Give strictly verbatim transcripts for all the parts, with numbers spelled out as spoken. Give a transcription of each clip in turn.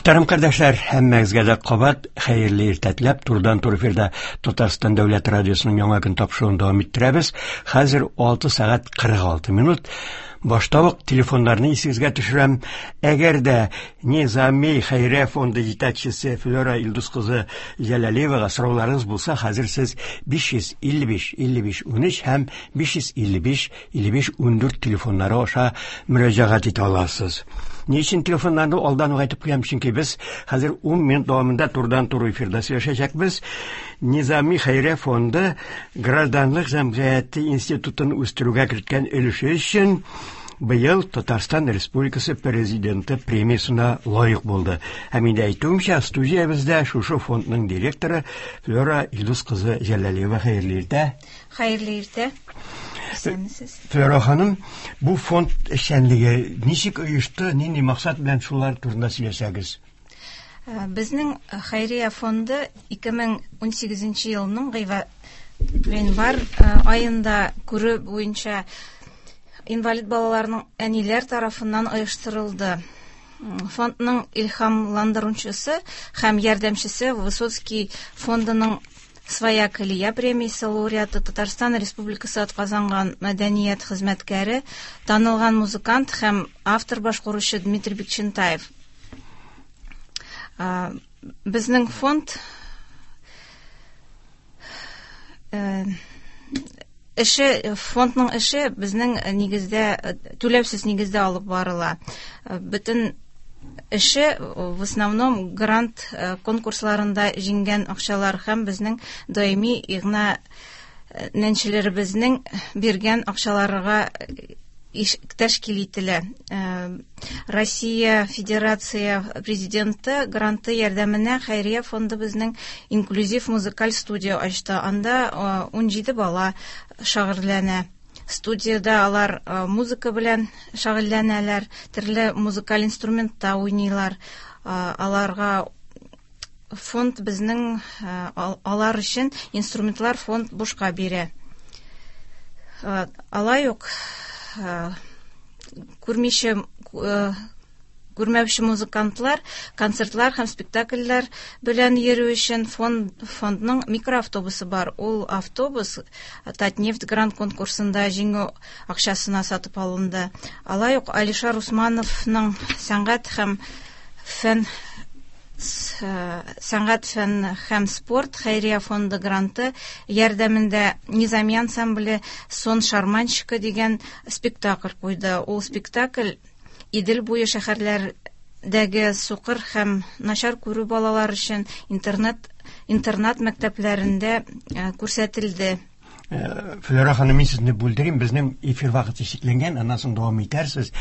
Мөхтәрәм кардәшләр, һәммәгезгә дә кабат хәерле иртә теләп, турыдан-туры эфирда Татарстан дәүләт радиосының Яңа көн тапшыруын дәвам иттерәбез. Хәзер алты сәгать кырык алты минут. Башта ук телефоннарны исегезгә төшерәм. Әгәр дә Низами хәйрия фонды җитәкчесе Флера Илдус кызы Җәләлиевага сорауларыгыз булса, хәзер сез биш йөз илле биш илле биш унөч һәм биш йөз илле биш илле биш ундүрт телефоннары аша мөрәҗәгать итә аласыз. Ни өчен телефоннарны алдан ук әйтеп куям? Чөнки без хәзер ун минут дәвамында турыдан-туры эфирда сөйләшәчәкбез. Низами хәйрия фонды гражданлык җәмгыяте институтын үстерүгә керткән өлеше өчен быел Татарстан Республикасы Президенты премиясенә лаек булды. Һәм инде әйтүемчә, студиябездә шушы фондның директоры Флера Илдус кызы Җәләлиева. Хәерле иртә. Хәерле иртә. Исәнмесез. Флера ханым, бу фонд эшчәнлеге ничек оешты, нинди максат белән, шулар турында сөйләсәгез? Безнең хәйрия фонды ике мең унсигезенче елның гыйнвар аенда күрү буенча инвалид балаларның әниләр тарафыннан оештырылды. Фондның илһамландыручысы һәм ярдәмчесе Высоцкий фондының Своя колея премиясе лауреаты, Татарстан Республикасы атказанган мәдәният хезмәткәре, танылган музыкант һәм автор башкаручы Дмитрий Бикчентаев. Безнең фонд, э, эше, фондның эше безнең нигездә, түләүсез нигездә алып барыла. Бөтен эше в основном грант конкурсларында җиңгән акчалар һәм безнең даими игъна нәнчеләребезнең биргән акчаларга тәшкил ителә. Россия Федерация Президенты гранты ярдәменә хәйрия фонды безнең инклюзив музыкаль студия ачты. Анда унҗиде бала шөгыльләнә. Студияда алар музыка белән шөгыльләнәләр, төрле музыкаль инструментта уйныйлар. Аларга фонд безнең, алар өчен инструментлар фонд бушка бирә. Алай ук күрмичә, күрмәүче музыкантлар концертлар һәм спектакльләр белән йөрү өчен фонд, фондның микроавтобусы бар. Ул автобус Татнефть грант конкурсында җиңү акчасына сатып алынды. Алай ук Алишер Усмановның сәнгать һәм фән сәнгать, фән һәм спорт хәйрия фонды гранты ярдәмендә Низами ансамбле Сон шарманщика дигән спектакль куйды. Ул спектакль Идел буе шәһәрләрдәге сукыр һәм начар күрү балалар өчен интернет, интернат мәктәпләрендә күрсәтелде. Флера ханым, мин сезне бүлдерим, безнең эфир вакыты чикләнгән, аннан соң дәвам итәрсез.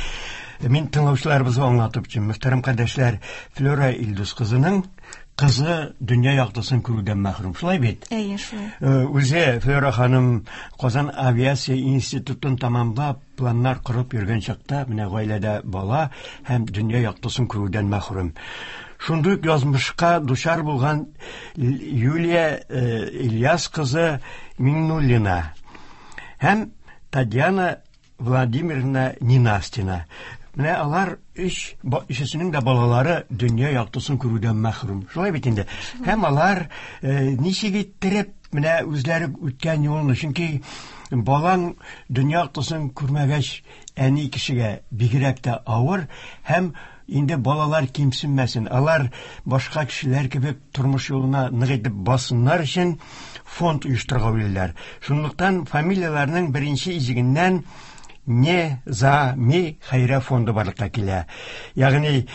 Мин тыңлаучыларыбызга аңлатып үтим. Мөхтәрәм кардәшләр, Флера Илдус кызының кызы дөнья яктысын күрүдән мәхрүм. Шулай бит? Әйе, шулай. Үзе Флера ханым Казан авиация институтын тамамлап, планнар корып йөргән чакта, менә гаиләдә бала һәм дөнья яктысын күрүдән мәхрүм. Шундый ук язмышка дучар булган Юлия Ильяс кызы Миңнуллина һәм Татьяна Владимировна Нинастина. Менә алар өч, өчесенең дә балалары дөнья яктысын күрүдән мәхрүм. Шулай бит инде. Һәм алар ничек иттереп менә үзләре үткән юлны, чөнки балаң дөнья яктысын күрмәгәч, әни кешегә бигрәк тә авыр, һәм инде балалар кимсенмәсен, алар башка кешеләр кебек тормыш юлына нык итеп бассыннар өчен фонд оештырырга уйлыйлар. Шунлыктан фамилияләрнең беренче иҗегеннән Низами хәйрия фонды барлыкка килә. Ягъни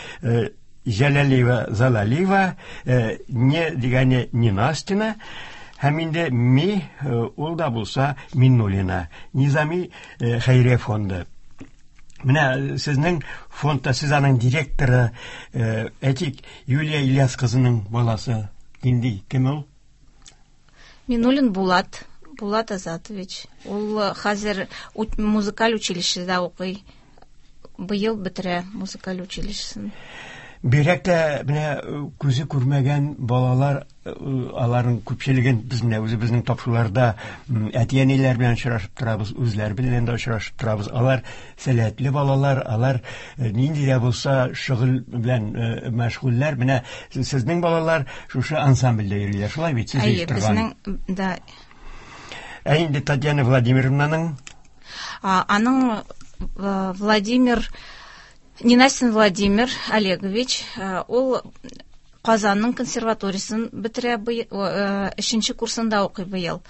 Җәләлиева Залалиева, не дигәне Нинастина, һәм инде ми ул да булса Миннуллина. Низами хәйрия фонды. Менә сезнең фондта, сез аның директоры, әйтик, Юлия Ильяс кызының баласы нинди, кем ул? Миннуллин Булат. Булат Азатович. Ул хәзер музыкаль училищеда укый. Быел бетерә музыкаль училищесын. Бигрәк тә менә күзе күрмәгән балалар Аларның күпчелеген без менә үзебезнең тапшыруларда әти-әниләр белән очрашып торабыз, үзләре белән дә очрашып торабыз. Алар сәләтле балалар, алар нинди дә булса шөгыль белән мәшгульләр. Менә сезнең балалар шушы ансамбльдә йөриләр, шулай бит? Сез оештырган. Безнең, да. Ә инде Татьяна Владимировнаның? Аның Владимир, Ненастин Владимир Олегович, ул Казанның консерваториясен бетерә, өченче курсында укый быел.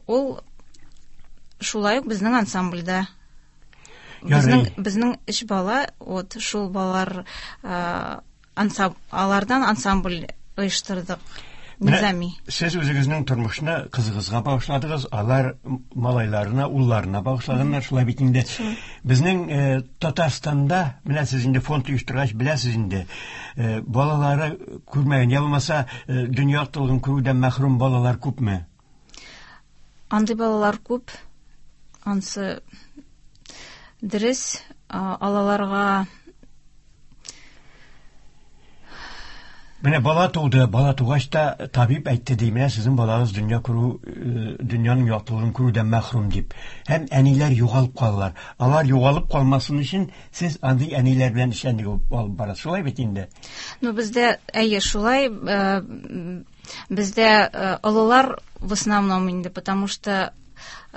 Ул шулай ук безнең ансамбльдә. Безнең, безнең өч бала, вот шул балалар, ансам, алардан ансамбль оештырдык. Низами. Сез үзегезнең тормышны кызыгызга багышладыгыз, алар малайларына, улларына багышлаганнар, шулай бит инде. Безнең э, Татарстанда, менә сез инде фонд оештыргач беләсез инде, э, балалары күрмәгән, я булмаса э, дөнья яктылыгын күрүдән мәхрүм балалар күпме? Андый балалар күп. Ансы дөрес, алаларга. Менә бала туды, бала тугач та табиб әйтте ди, менә сезнең балагыз дөнья күрү, дөньяның яктылыгын күрүдән мәхрүм дип. Һәм әниләр югалып калалар. Алар югалып калмасын өчен сез андый әниләр белән эшчәнлек алып барасыз. Шулай бит инде? Ну, бездә, әйе, шулай, бездә олылар в основном инде, потому что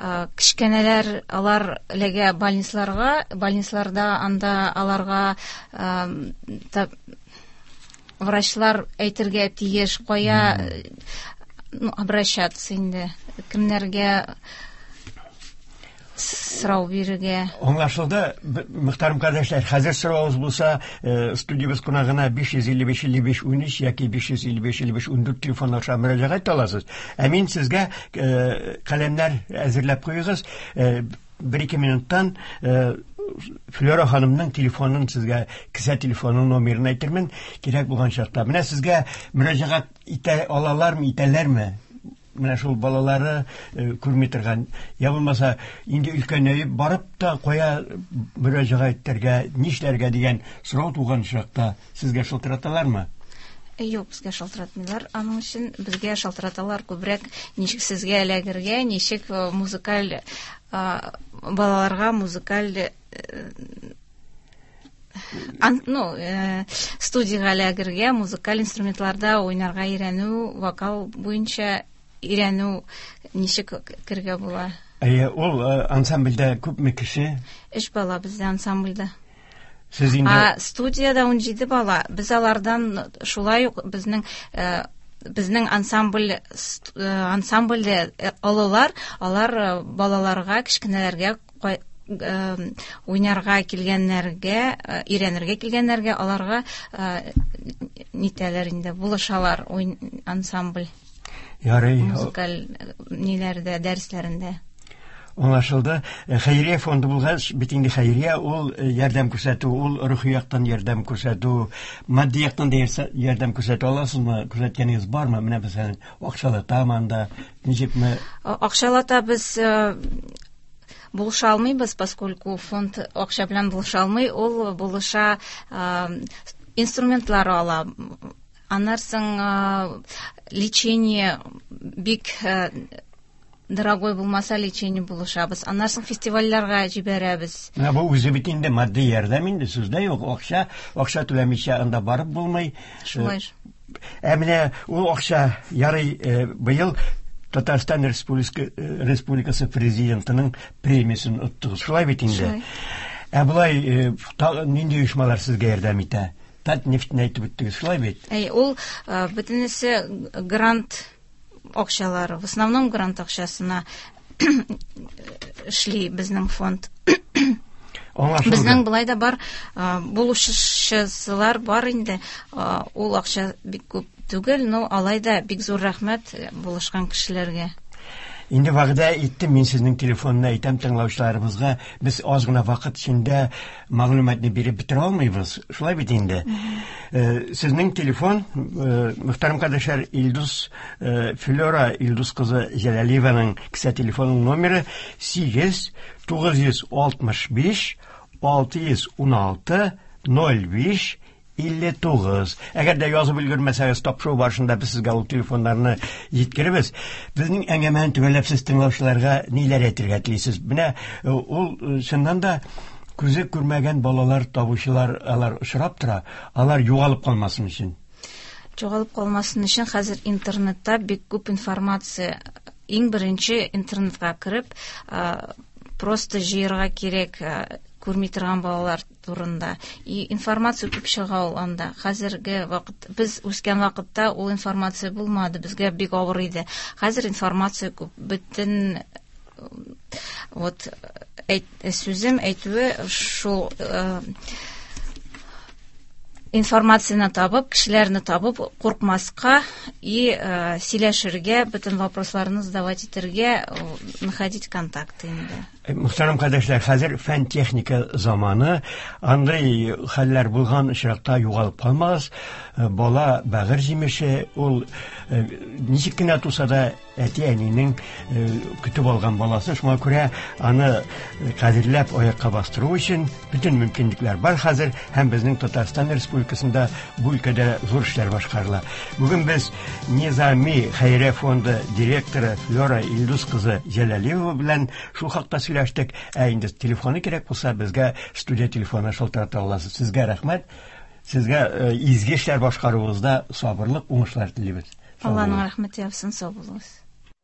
кечкенәләр алар эләгә больницаларга, больницаларда анда аларга врачлар әйтергә тиеш, кая, ну, обращаться инде, кемнәргә сорау бирергә. Аңлашылды, мөхтәрәм кардәшләр, хәзер соравыгыз булса, студиябез кунагына биш йөз илле биш илле биш ун өч яки биш йөз илле биш илле биш ун дүрт телефон аша мөрәҗәгать итә аласыз. Ә мин сезгә каләмнәр әзерләп куегыз, бер-ике минуттан Флера ханымның телефонын сезгә, кесә телефонының номерын әйтермен, кирәк булган чакта. Менә сезгә мөрәҗәгать итә алалармы, итәләрме? Менә шул балалары күрми торган, я булмаса инде өлкәнәеп барып та кая мөрәҗәгать итәргә, нишләргә дигән сорау туган чакта сезгә шылтыраталармы? Юк, безгә шалтыратмыйлар. Аның өчен безгә шалтыраталар күбрәк ничек сезгә эләгергә, ничек музыкаль балаларга музыкаль ну, студияга эләгергә, музыкаль инструментларда уйнарга өйрәнү, вокал буенча өйрәнү ничек кергә була. Әйе, ул ансамбльдә күпме кеше? Өч бала бездә ансамбльдә. Сез инде А студияда ун җиде бала. Без алардан шулай ук безнең безнең ансамбль ансамбльдә олылар, алар балаларга, кечкенәләргә уйнарга килгәннәргә, өйрәнергә килгәннәргә аларга нитәләр инде, булышалар ансамбль. Ярый. Музыкаль ниләрдә, дәресләрендә. Аңлашылды. Хәйрия фонды булгач, бит инде хәйрия ул ярдәм күрсәтү, ул рухи яктан ярдәм күрсәтү, матди яктан да ярдәм күрсәтә аласызмы? Күрсәткәнегез бармы? Менә мәсәлән, акчалата анда ничекме? Акчалата без булыша алмыйбыз, поскольку фонд акча белән булыша алмый, ул булыша инструментлар ала. Аннан соң лечение бик дорогой булмаса лечение булышабыз. Аннан соң фестивальләргә җибәрәбез. Менә бу үзе бит инде матди ярдәм инде, сүздә юк. Акча, акча түләмичә анда барып булмый. Шулай. Ә менә ул акча ярый, быел Татарстан Республикасы президентының премиясен оттыгыз. Шулай бит инде. Ә болай нинди оешмалар сезгә ярдәм итә? Татнефтьне әйтеп үттегез, шулай бит? Әй, ул бөтенесе грант акчалары, в основном грант акчасына эшли безнең фонд. Безнең былай да бар, булышчылар бар инде. Ул акча бик күп түгел, но алай да бик зур рәхмәт булышкан кешеләргә. Инде вәгъдә иттем, мин сезнең телефонны әйтәм тыңлаучыларыбызга. Без аз гына вакыт эчендә мәгълүматны биреп бетерә алмыйбыз. Шулай бит инде. Сезнең телефон, мөхтәрәм кардәшләр, Илдус Флера Илдус кызы Җәләлиеваның кесә телефонының номеры сигез тугыз йөз алтмыш биш алты йөз ун алты ноль биш илле тугыз. Әгәр дә язып өлгермәсәгез, тапшыру барышында без сезгә ул телефоннарны җиткеребез. Безнең әңгәмәне төгәлләп сез тыңлаучыларга ниләр әйтергә телисез? Менә ул чыннан да күзе күрмәгән балалар табучылар алар очрап тора, алар югалып калмасын өчен. Югалып калмасын өчен хәзер интернетта бик күп информация. Иң беренче интернетка кереп, просто җыярга кирәк күрми торган балалар турында. И информация күп чыга ул анда. Хәзерге вакыт, без үскән вакытта ул информация булмады, безгә бик авыр иде. Хәзер информация күп. Бөтен вот әйт, сүзем әйтүе шул э, информацияны табып, кешеләрне табып, куркмаска и э, сөйләшергә, бөтен вопросларны задавать итәргә, находить контакты инде. Мөхтәрәм кардәшләр, хәзер фән-техника заманы, андый хәлләр булган очракта югалып калмагыз. Бала бәгырь җимеше, ул ничек кенә туса да әти-әнинең көтеп алган баласы, шуңа күрә аны кадерләп аякка бастыру өчен бөтен мөмкинлекләр бар хәзер, һәм безнең Татарстан Республикасында бу өлкәдә зур эшләр башкарыла. Бүген без Низами хәйрия фонды директоры Флера Илдус кызы Җәләлиева белән шул хакта сөйләштек. Ә инде телефоны кирәк булса, безгә студия телефоны шалтырата аласыз. Сезгә рәхмәт. Сезгә изге эшләр башкаруыгызда сабырлык, уңышлар телибез. Алланың рәхмәте яусын, сау булыгыз.